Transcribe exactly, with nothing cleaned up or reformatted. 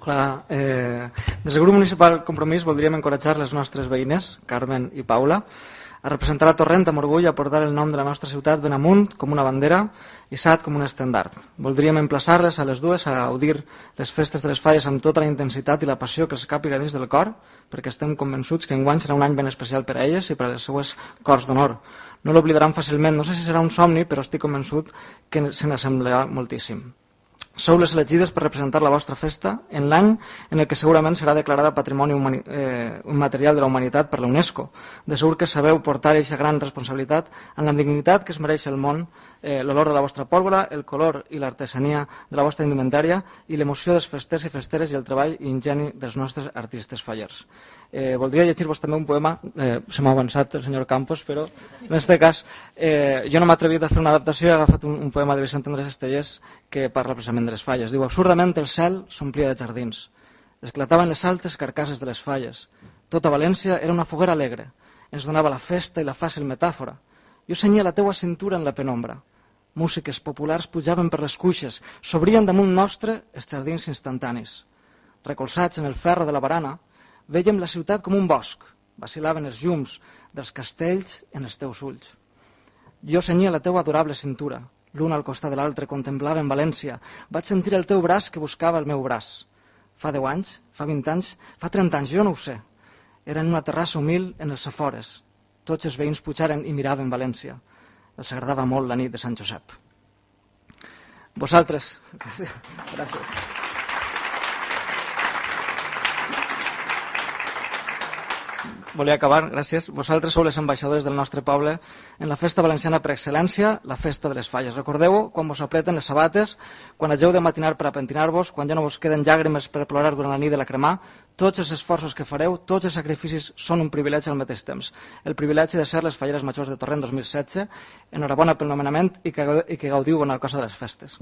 Hola, eh, des del grup municipal Compromís voldríem encoratjar les nostres veïnes, Carmen i Paula, a representar la Torrent amb orgull, a portar el nom de la nostra ciutat ben amunt com una bandera i Sat com un estendard. Voldríem emplaçar-les a les dues a gaudir les festes de les Falles amb tota la intensitat i la passió que els càpiga dins del cor, perquè estem convençuts que enguany serà un any ben especial per a elles i per a les seues cors d'honor. No l'oblidaran fàcilment, no sé si serà un somni, però estic convençut que se n'assemblarà moltíssim. Sou les elegides per representar la vostra festa en l'any en el que segurament serà declarada Patrimoni eh, Immaterial de la Humanitat per la UNESCO. De segur que sabeu portar aquesta gran responsabilitat en la dignitat que es mereix el món, eh, l'olor de la vostra pólvora, el color i l'artesania de la vostra indumentària i l'emoció dels festers i festeres i el treball i ingeni dels nostres artistes fallers. Eh, voldria llegir-vos també un poema, eh, se m'ha avançat el senyor Campos, però en aquest cas eh, jo no m'he atrevit a fer una adaptació i he agafat un, un poema de Vicent Andrés Estellés que parla precisament de les falles. Diu: absurdament el cel s'omplia de jardins, esclataven les altes carcasses de les falles, tota València era una foguera alegre, ens donava la festa i la fàcil metàfora. Jo senyia la teua cintura en la penombra, músiques populars pujaven per les cuixes, s'obrien damunt nostre els jardins instantanis. Recolzats en el ferro de la barana, vèiem la ciutat com un bosc, vacilaven els llums dels castells en els teus ulls. Jo senyia la teua adorable cintura, l'un al costat de l'altre contemplava en València, vaig sentir el teu braç que buscava el meu braç. Fa deu anys, fa vint anys, fa trenta anys, jo no ho sé. Era en una terrassa humil en els afores. Tots els veïns pujaren i miraven València. Els agradava molt la nit de Sant Josep. Vosaltres... Gràcies. Volia acabar, gràcies. Vosaltres sou les ambaixadores del nostre poble en la festa valenciana per excel·lència, la festa de les falles. Recordeu quan vos apreten les sabates, quan hageu de matinar per a pentinar-vos, quan ja no vos queden llàgrimes per plorar durant la nit de la cremà. Tots els esforços que fareu, tots els sacrificis són un privilegi al mateix temps. El privilegi de ser les falleres majors de Torrent dos mil setze. Enhorabona pel nomenament i que, i que gaudiu bona cosa de les festes.